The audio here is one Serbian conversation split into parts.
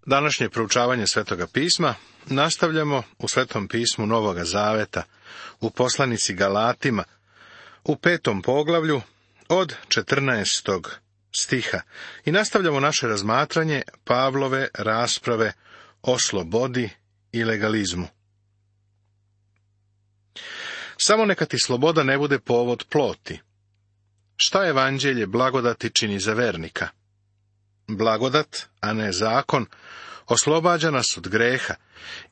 Današnje proučavanje Svetoga pisma nastavljamo u Svetom pismu Novoga Zaveta, u poslanici Galatima, u 5. poglavlju od 14. stiha i nastavljamo naše razmatranje Pavlove rasprave o slobodi i legalizmu. Samo neka ti sloboda ne bude povod ploti. Šta evanđelje blagodati čini za vernika? Blagodat, a ne zakon, oslobađa nas od greha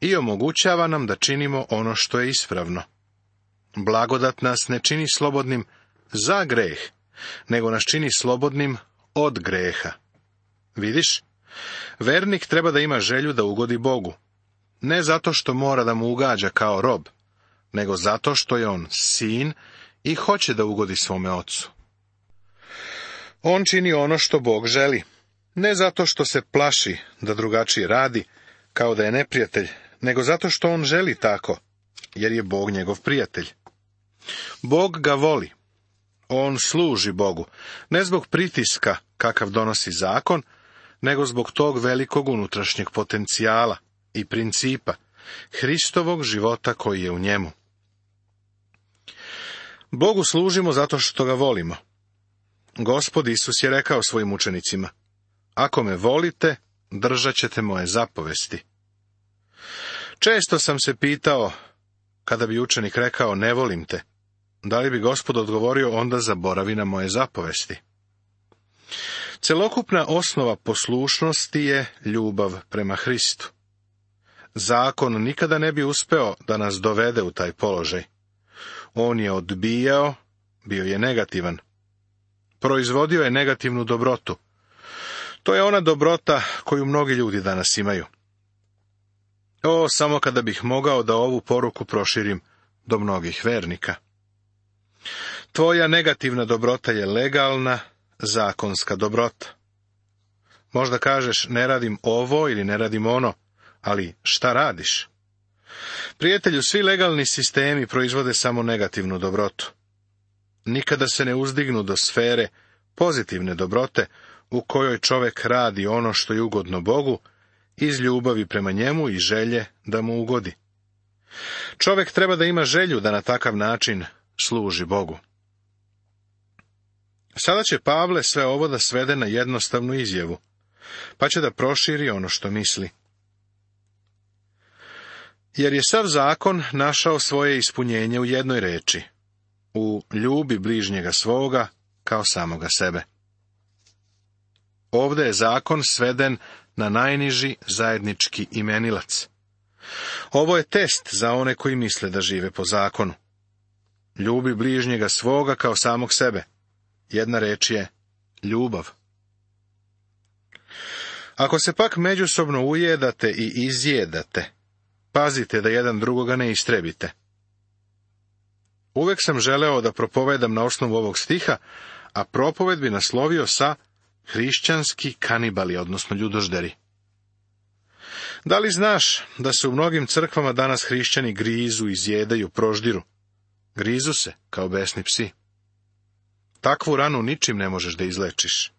i omogućava nam da činimo ono što je ispravno. Blagodat nas ne čini slobodnim za greh, nego nas čini slobodnim od greha. Vidiš, vernik treba da ima želju da ugodi Bogu, ne zato što mora da mu ugađa kao rob, nego zato što je on sin i hoće da ugodi svome ocu. On čini ono što Bog želi, ne zato što se plaši da drugačije radi, kao da je neprijatelj, nego zato što on želi tako, jer je Bog njegov prijatelj. Bog ga voli. On služi Bogu, ne zbog pritiska kakav donosi zakon, nego zbog tog velikog unutrašnjeg potencijala i principa, Hristovog života koji je u njemu. Bogu služimo zato što ga volimo. Gospod Isus je rekao svojim učenicima: ako me volite, držat ćete moje zapovesti. Često sam se pitao, kada bi učenik rekao ne volim te, da li bi Gospod odgovorio onda zaboravi na moje zapovesti? Celokupna osnova poslušnosti je ljubav prema Hristu. Zakon nikada ne bi uspeo da nas dovede u taj položaj. On je odbijao, bio je negativan. Proizvodio je negativnu dobrotu. To je ona dobrota koju mnogi ljudi danas imaju. Samo kada bih mogao da ovu poruku proširim do mnogih vernika. Tvoja negativna dobrota je legalna, zakonska dobrota. Možda kažeš ne radim ovo ili ne radim ono, ali šta radiš? Prijatelju, svi legalni sistemi proizvode samo negativnu dobrotu. Nikada se ne uzdignu do sfere pozitivne dobrote, u kojoj čovek radi ono što je ugodno Bogu, iz ljubavi prema njemu i želje da mu ugodi. Čovek treba da ima želju da na takav način služi Bogu. Sada će Pavle sve ovo da svede na jednostavnu izjavu, pa će da proširi ono što misli. Jer je sav zakon našao svoje ispunjenje u jednoj reči: u ljubi bližnjega svoga kao samoga sebe. Ovde je zakon sveden na najniži zajednički imenilac. Ovo je test za one koji misle da žive po zakonu. Ljubi bližnjega svoga kao samog sebe. Jedna reč je ljubav. Ako se pak međusobno ujedate i izjedate, pazite da jedan drugoga ne istrebite. Uvek sam želeo da propovedam na osnovu ovog stiha, a propoved bi naslovio sa hrišćanski kanibali, odnosno ljudožderi. Da li znaš da se u mnogim crkvama danas hrišćani grizu, izjedaju, proždiru? Grizu se kao besni psi. Takvu ranu ničim ne možeš da izlečiš.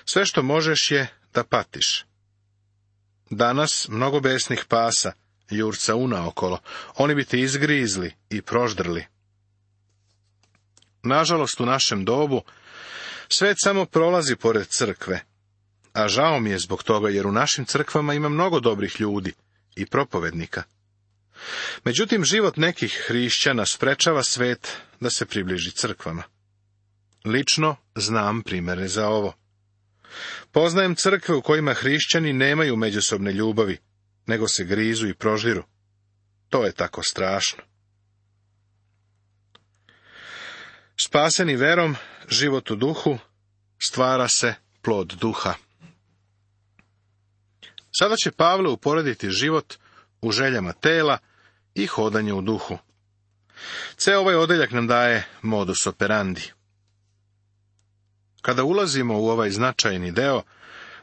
Sve što možeš je da patiš. Danas mnogo besnih pasa jurca unaokolo, oni bi te izgrizli i proždrli. Nažalost, u našem dobu svet samo prolazi pored crkve, a žao mi je zbog toga, jer u našim crkvama ima mnogo dobrih ljudi i propovednika. Međutim, život nekih hrišćana sprečava svet da se približi crkvama. Lično znam primere za ovo. Poznajem crkve u kojima hrišćani nemaju međusobne ljubavi, nego se grizu i prožiru. To je tako strašno. Spaseni verom, život u duhu, stvara se plod duha. Sada će Pavle uporediti život u željama tela i hodanje u duhu. Ceo ovaj odeljak nam daje modus operandi. Kada ulazimo u ovaj značajni deo,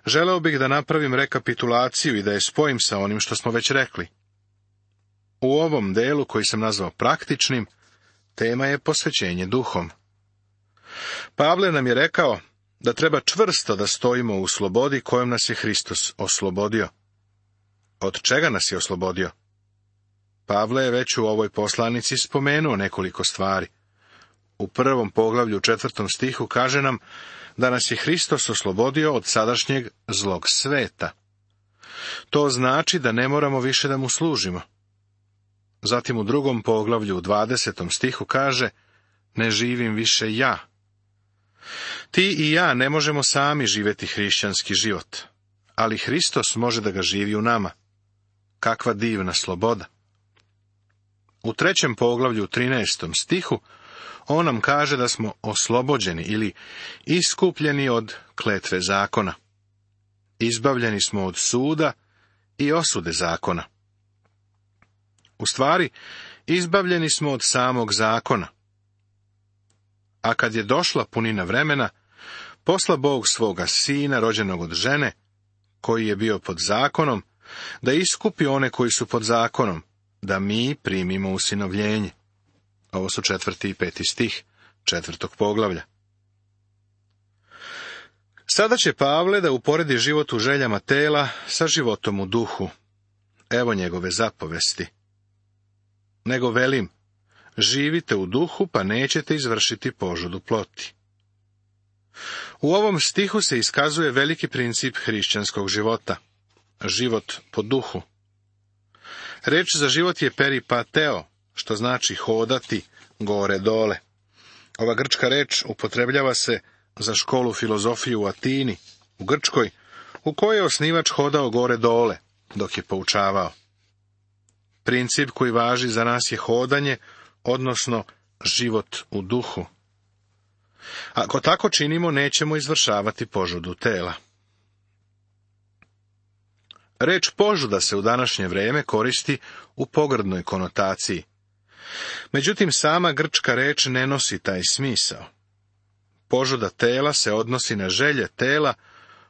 želeo bih da napravim rekapitulaciju i da je spojim sa onim što smo već rekli. U ovom delu, koji sam nazvao praktičnim, tema je posvećenje duhom. Pavle nam je rekao da treba čvrsto da stojimo u slobodi kojom nas je Hristos oslobodio. Od čega nas je oslobodio? Pavle je već u ovoj poslanici spomenuo nekoliko stvari. U 1. poglavlju 4. stihu kaže nam da nas je Hristos oslobodio od sadašnjeg zlog sveta. To znači da ne moramo više da mu služimo. Zatim u 2. poglavlju 20. stihu kaže: ne živim više ja. Ti i ja ne možemo sami živjeti hrišćanski život, ali Hristos može da ga živi u nama. Kakva divna sloboda! U 3. poglavlju 13. stihu on nam kaže da smo oslobođeni ili iskupljeni od kletve zakona. Izbavljeni smo od suda i osude zakona. U stvari, izbavljeni smo od samog zakona. A kad je došla punina vremena, posla Bog svoga sina, rođenog od žene, koji je bio pod zakonom, da iskupi one koji su pod zakonom, da mi primimo usinovljenje. Ovo su 4. i 5. stih 4. poglavlja. Sada će Pavle da uporedi život u željama tela sa životom u duhu. Evo njegove zapovesti. Nego velim, živite u duhu, pa nećete izvršiti požudu ploti. U ovom stihu se iskazuje veliki princip hrišćanskog života. Život po duhu. Reč za život je peripateo, što znači hodati gore dole. Ova grčka reč upotrebljava se za školu filozofije u Atini, u Grčkoj, u kojoj je osnivač hodao gore dole, dok je poučavao. Princip koji važi za nas je hodanje, odnosno život u duhu. Ako tako činimo, nećemo izvršavati požudu tela. Reč požuda se u današnje vrijeme koristi u pogrdnoj konotaciji. Međutim, sama grčka reč ne nosi taj smisao. Požuda tela se odnosi na želje tela,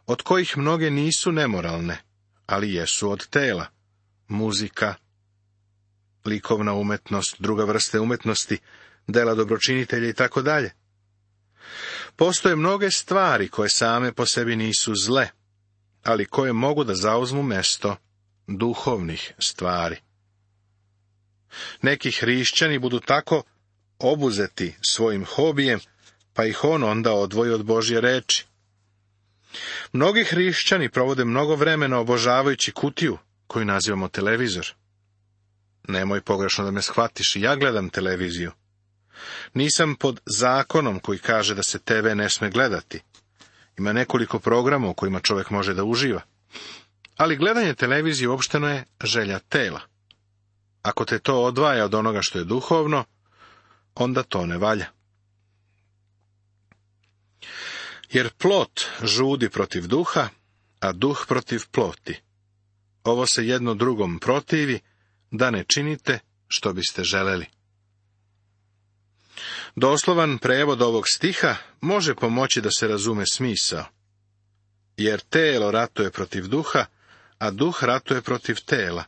od kojih mnoge nisu nemoralne, ali jesu od tela. Muzika, likovna umetnost, druga vrste umetnosti, dela dobročinitelja i tako dalje. Postoje mnoge stvari koje same po sebi nisu zle, ali koje mogu da zauzmu mesto duhovnih stvari. Neki hrišćani budu tako obuzeti svojim hobijem, pa ih on onda odvoji od Božje reči. Mnogi hrišćani provode mnogo vremena obožavajući kutiju, koju nazivamo televizor. Nemoj pogrešno da me shvatiš, ja gledam televiziju. Nisam pod zakonom koji kaže da se TV ne sme gledati. Ima nekoliko programa u kojima čovjek može da uživa. Ali gledanje televizije uopšteno je želja tela. Ako te to odvaja od onoga što je duhovno, onda to ne valja. Jer plot žudi protiv duha, a duh protiv ploti. Ovo se jedno drugom protivi, da ne činite što biste želeli. Doslovan prevod ovog stiha može pomoći da se razume smisao. Jer telo ratuje protiv duha, a duh ratuje protiv tela.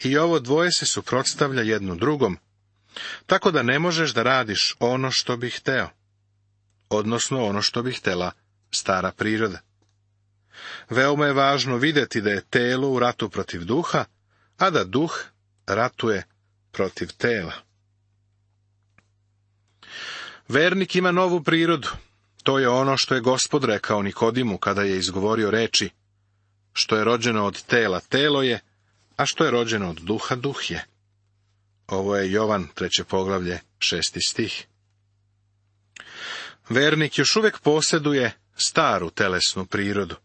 I ovo dvoje se suprotstavlja jedno drugom, tako da ne možeš da radiš ono što bi hteo, odnosno ono što bi htela stara priroda. Veoma je važno vidjeti da je telo u ratu protiv duha, a da duh ratuje protiv tela. Vernik ima novu prirodu. To je ono što je Gospod rekao Nikodimu kada je izgovorio reči: što je rođeno od tela, telo je, a što je rođeno od duha, duh je. Ovo je Jovan 3. poglavlje 6. stih. Vernik još uvijek posjeduje staru telesnu prirodu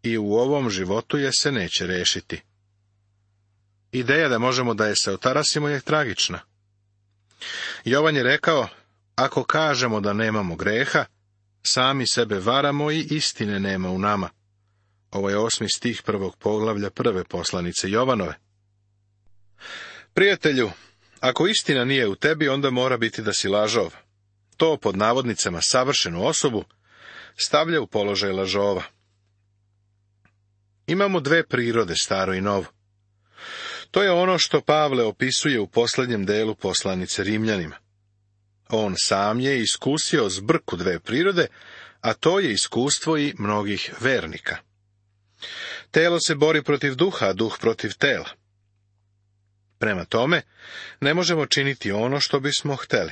i u ovom životu je se neće rešiti. Ideja da možemo da je se otarasimo je tragična. Jovan je rekao: ako kažemo da nemamo greha, sami sebe varamo i istine nema u nama. Ovo je 8. stih 1. poglavlja 1. poslanice Jovanove. Prijatelju, ako istina nije u tebi, onda mora biti da si lažov. To pod navodnicama savršenu osobu stavlja u položaj lažova. Imamo dve prirode, staro i novo. To je ono što Pavle opisuje u posljednjem delu poslanice Rimljanima. On sam je iskusio zbrku dve prirode, a to je iskustvo i mnogih vernika. Telo se bori protiv duha, a duh protiv tela. Prema tome, ne možemo činiti ono što bismo hteli.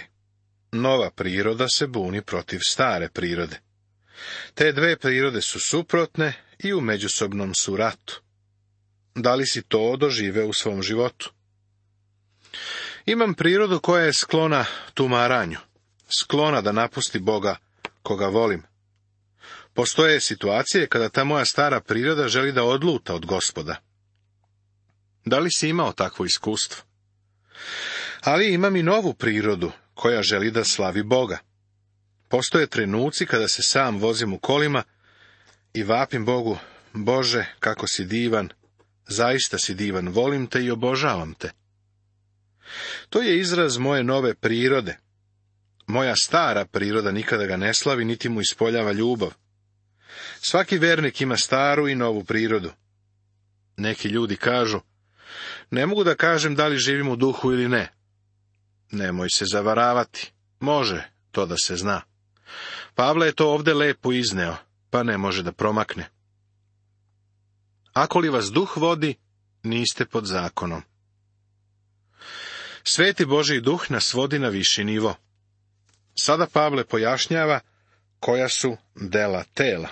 Nova priroda se buni protiv stare prirode. Te dve prirode su suprotne i u međusobnom su ratu. Da li si to doživeo u svom životu? Imam prirodu koja je sklona tumaranju, sklona da napusti Boga koga volim. Postoje situacije kada ta moja stara priroda želi da odluta od Gospoda. Da li si imao takvo iskustvo? Ali imam i novu prirodu koja želi da slavi Boga. Postoje trenuci kada se sam vozim u kolima i vapim Bogu: Bože, kako si divan, zaista si divan, volim te i obožavam te. To je izraz moje nove prirode. Moja stara priroda nikada ga ne slavi, niti mu ispoljava ljubav. Svaki vernik ima staru i novu prirodu. Neki ljudi kažu: ne mogu da kažem da li živim u duhu ili ne. Nemoj se zavaravati, može to da se zna. Pavle je to ovde lepo izneo, pa ne može da promakne. Ako li vas duh vodi, niste pod zakonom. Sveti Božji duh nas vodi na viši nivo. Sada Pavle pojašnjava koja su dela tela.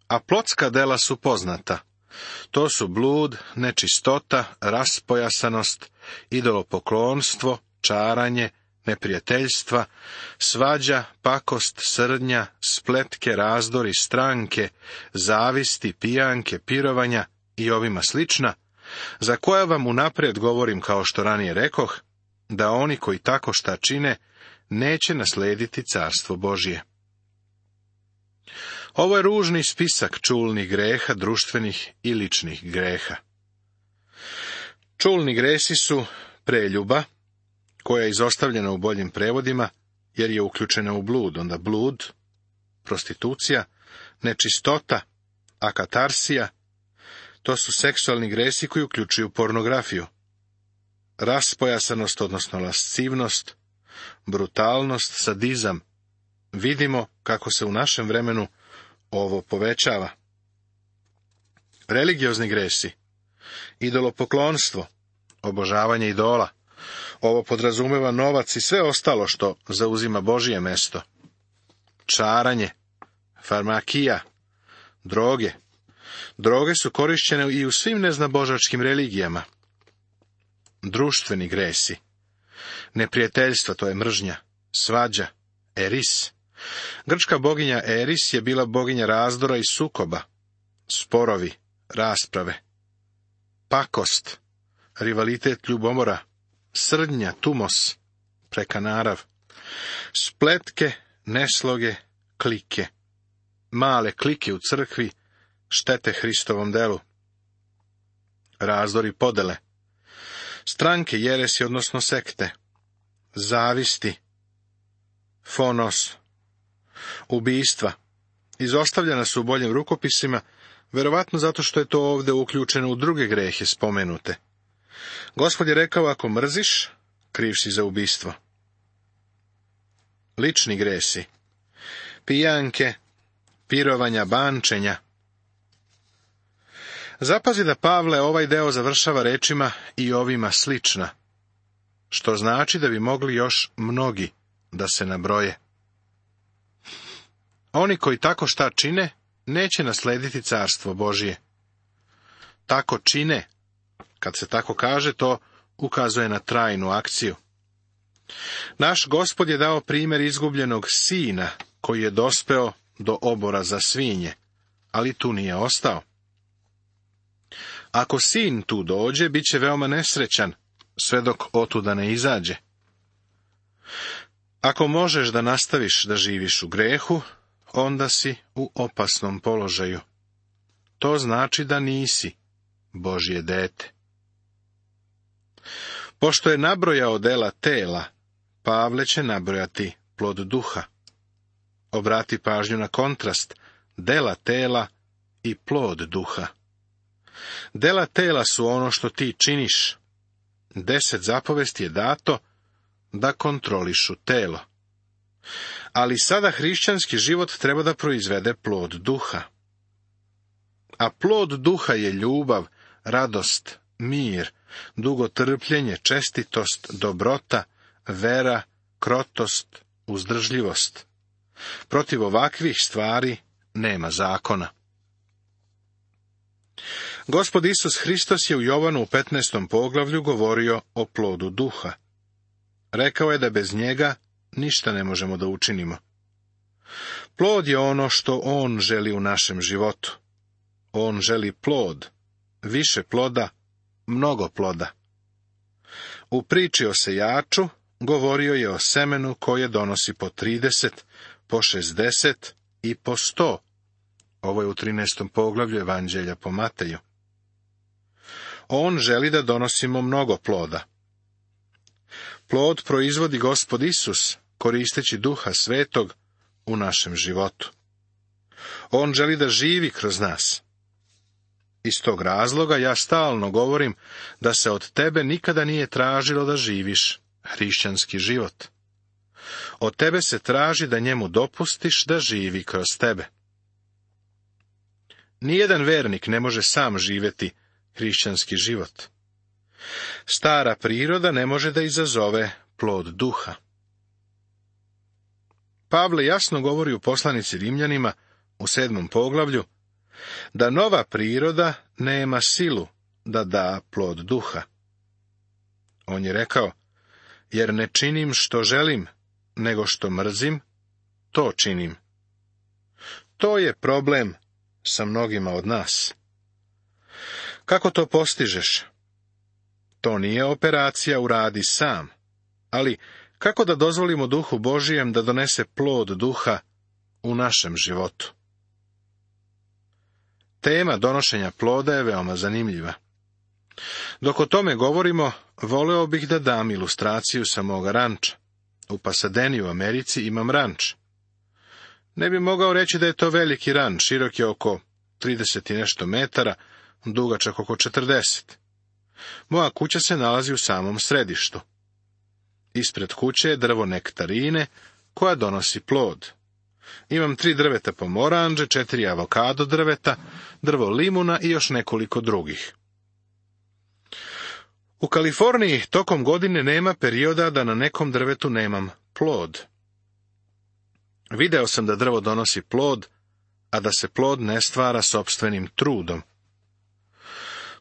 A plotska dela su poznata. To su blud, nečistota, raspojasanost, idolopoklonstvo, čaranje, neprijateljstva, svađa, pakost, srdnja, spletke, razdori, stranke, zavisti, pijanke, pirovanja i ovima slična, za koja vam unaprijed govorim, kao što ranije rekoh, da oni koji tako šta čine, neće naslediti carstvo Božje. Ovo je ružni spisak čulnih greha, društvenih i ličnih greha. Čulni gresi su preljuba, koja je izostavljena u boljim prevodima, jer je uključena u blud. Onda blud, prostitucija, nečistota, akatarsija, to su seksualni gresi koji uključuju pornografiju. Raspojasanost, odnosno lascivnost, brutalnost, sadizam. Vidimo kako se u našem vremenu ovo povećava. Religiozni gresi, idolopoklonstvo, obožavanje idola. Ovo podrazumeva novac i sve ostalo što zauzima Božje mesto. Čaranje, farmakija, droge. Droge su korišćene i u svim neznabožačkim religijama. Društveni gresi, neprijateljstva, to je mržnja, svađa, eris. Grčka boginja Eris je bila boginja razdora i sukoba, sporovi, rasprave. Pakost, rivalitet, ljubomora, srdnja, tumos, prekanarav. Spletke, nesloge, klike. Male klike u crkvi štete Hristovom delu. Razdori, podele. Stranke, jeresi, odnosno sekte. Zavisti, fonos, ubistva. Izostavljena su u boljim rukopisima, verovatno zato što je to ovdje uključeno u druge grehe spomenute. Gospod je rekao: ako mrziš, kriv si za ubistvo. Lični gresi, pijanke, pirovanja, bančenja. Zapazi da Pavle ovaj deo završava rečima i ovima slična, što znači da bi mogli još mnogi da se nabroje. Oni koji tako šta čine, neće naslediti carstvo Božje. Tako čine, kad se tako kaže, to ukazuje na trajnu akciju. Naš Gospod je dao primjer izgubljenog sina, koji je dospeo do obora za svinje, ali tu nije ostao. Ako sin tu dođe, bit će veoma nesrećan, sve dok otuda ne izađe. Ako možeš da nastaviš da živiš u grehu, onda si u opasnom položaju. To znači da nisi Božje dete. Pošto je nabrojao dela tela, Pavle će nabrojati plod duha. Obrati pažnju na kontrast dela tela i plod duha. Dela tela su ono što ti činiš. 10 zapovesti je dato da kontrolišu telo. Ali sada hrišćanski život treba da proizvede plod duha. A plod duha je ljubav, radost, mir, dugotrpljenje, čestitost, dobrota, vera, krotost, uzdržljivost. Protiv ovakvih stvari nema zakona. Gospod Isus Hristos je u Jovanu u 15. poglavlju govorio o plodu duha. Rekao je da bez njega ništa ne možemo da učinimo. Plod je ono što on želi u našem životu. On želi plod, više ploda, mnogo ploda. U priči o sejaču govorio je o semenu koje donosi po 30, po 60 i po 100. Ovo je u 13. poglavlju Evanđelja po Mateju. On želi da donosimo mnogo ploda. Plod proizvodi Gospod Isus, koristeći Duha Svetog u našem životu. On želi da živi kroz nas. Iz tog razloga ja stalno govorim da se od tebe nikada nije tražilo da živiš hrišćanski život. Od tebe se traži da njemu dopustiš da živi kroz tebe. Nijedan vernik ne može sam živjeti hrišćanski život. Stara priroda ne može da izazove plod duha. Pavle jasno govori u poslanici Rimljanima u 7. poglavlju da nova priroda nema silu da da plod duha. On je rekao, jer ne činim što želim, nego što mrzim, to činim. To je problem sa mnogima od nas. Kako to postižeš? To nije operacija uradi sam, ali kako da dozvolimo Duhu Božijem da donese plod duha u našem životu? Tema donošenja ploda je veoma zanimljiva. Dok o tome govorimo, voleo bih da dam ilustraciju sa moga ranča. U Pasadeni u Americi imam ranč. Ne bi mogao reći da je to veliki ranč, širok je oko 30 i nešto metara, dugačak oko 40. Moja kuća se nalazi u samom središtu. Ispred kuće je drvo nektarine, koja donosi plod. Imam 3 drveta pomoranđe, 4 avokado drveta, drvo limuna i još nekoliko drugih. U Kaliforniji tokom godine nema perioda da na nekom drvetu nemam plod. Video sam da drvo donosi plod, a da se plod ne stvara sopstvenim trudom.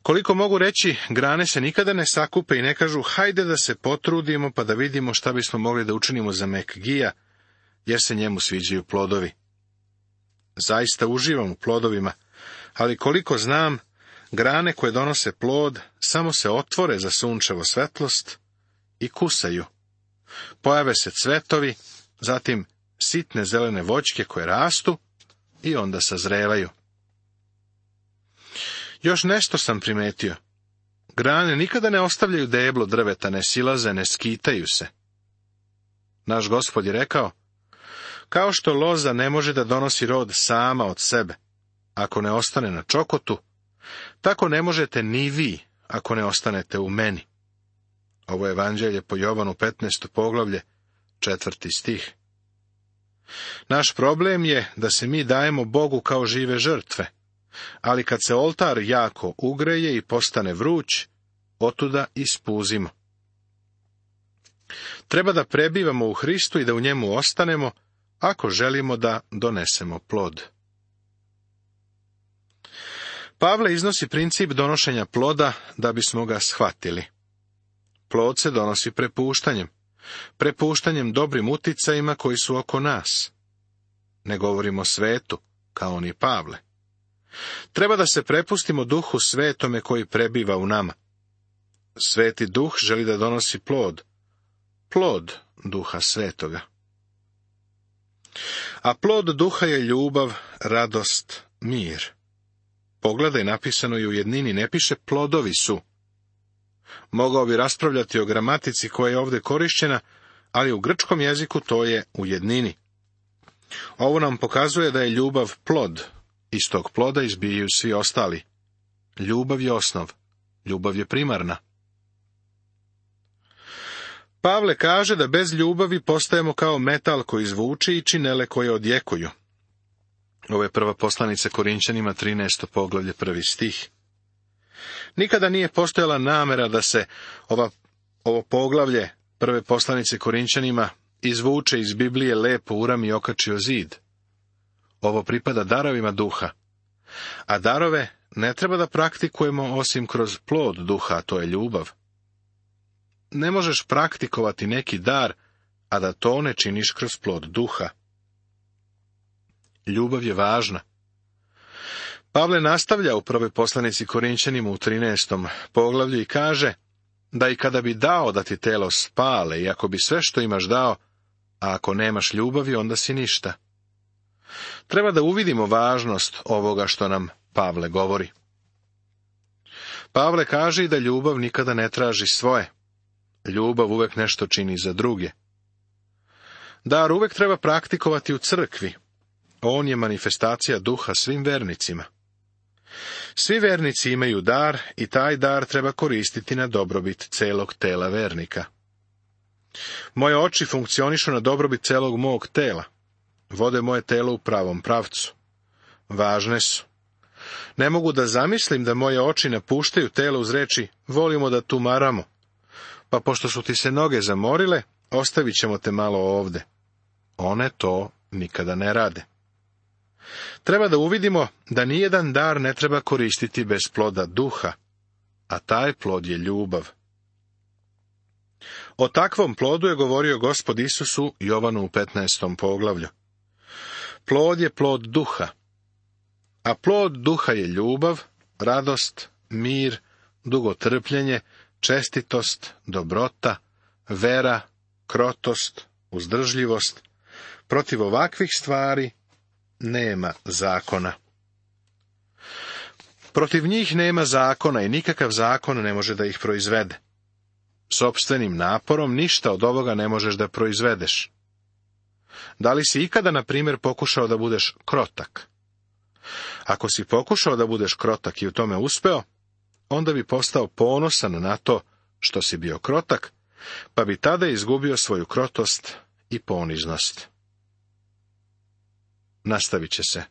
Koliko mogu reći, grane se nikada ne sakupe i ne kažu hajde da se potrudimo pa da vidimo šta bismo mogli da učinimo za Mekgija, jer se njemu sviđaju plodovi. Zaista uživam u plodovima, ali koliko znam, grane koje donose plod samo se otvore za sunčevo svetlost i kusaju. Pojave se cvetovi, zatim sitne zelene voćke koje rastu i onda sazrevaju. Još nešto sam primetio. Grane nikada ne ostavljaju deblo drveta, ne silaze, ne skitaju se. Naš Gospod je rekao, kao što loza ne može da donosi rod sama od sebe, ako ne ostane na čokotu, tako ne možete ni vi, ako ne ostanete u meni. Ovo je Evanđelje po Jovanu 15. poglavlje, 4. stih. Naš problem je da se mi dajemo Bogu kao žive žrtve, ali kad se oltar jako ugreje i postane vruć, otuda ispuzimo. Treba da prebivamo u Hristu i da u njemu ostanemo, ako želimo da donesemo plod. Pavle iznosi princip donošenja ploda da bismo ga shvatili. Plod se donosi prepuštanjem dobrim uticajima koji su oko nas. Ne govorimo svetu, kao ni Pavle. Treba da se prepustimo Duhu Svetome koji prebiva u nama. Sveti Duh želi da donosi plod Duha Svetoga. A plod Duha je ljubav, radost, mir. Pogledaj, napisano je u jednini, ne piše plodovi su. Mogao bi raspravljati o gramatici koja je ovdje korišćena, ali u grčkom jeziku to je u jednini. Ovo nam pokazuje da je ljubav plod. Iz tog ploda izbijaju svi ostali. Ljubav je osnov. Ljubav je primarna. Pavle kaže da bez ljubavi postajemo kao metal koji zvuči i činele koje odjekuju. Ovo je prva poslanica Korinćanima, 13. poglavlje, 1. stih. Nikada nije postojala namera da se ovo poglavlje prve poslanice Korinćanima izvuče iz Biblije, lepo urami i okači o zid. Ovo pripada darovima duha. A darove ne treba da praktikujemo osim kroz plod duha, a to je ljubav. Ne možeš praktikovati neki dar, a da to ne činiš kroz plod duha. Ljubav je važna. Pavle nastavlja u prvoj poslanici Korinćanima u 13. poglavlju i kaže da i kada bi dao da ti telo spale i ako bi sve što imaš dao, a ako nemaš ljubavi, onda si ništa. Treba da uvidimo važnost ovoga što nam Pavle govori. Pavle kaže i da ljubav nikada ne traži svoje. Ljubav uvek nešto čini za druge. Dar uvek treba praktikovati u crkvi. On je manifestacija duha svim vernicima. Svi vernici imaju dar i taj dar treba koristiti na dobrobit celog tela vernika. Moje oči funkcionišu na dobrobit celog mog tela. Vode moje telo u pravom pravcu. Važne su. Ne mogu da zamislim da moje oči napuštaju telo uz reči volimo da tumaramo, pa pošto su ti se noge zamorile, ostavit ćemo te malo ovde. One to nikada ne rade. Treba da uvidimo da nijedan dar ne treba koristiti bez ploda duha, a taj plod je ljubav. O takvom plodu je govorio Gospod Isus u Jovanu u 15. poglavlju. Plod je plod duha, a plod duha je ljubav, radost, mir, dugotrpljenje, čestitost, dobrota, vera, krotost, uzdržljivost. Protiv ovakvih stvari nema zakona. Protiv njih nema zakona i nikakav zakon ne može da ih proizvede. Sopstvenim naporom ništa od ovoga ne možeš da proizvedeš. Da li si ikada, na primjer, pokušao da budeš krotak? Ako si pokušao da budeš krotak i u tome uspeo, onda bi postao ponosan na to što si bio krotak, pa bi tada izgubio svoju krotost i poniznost. Nastavit će se.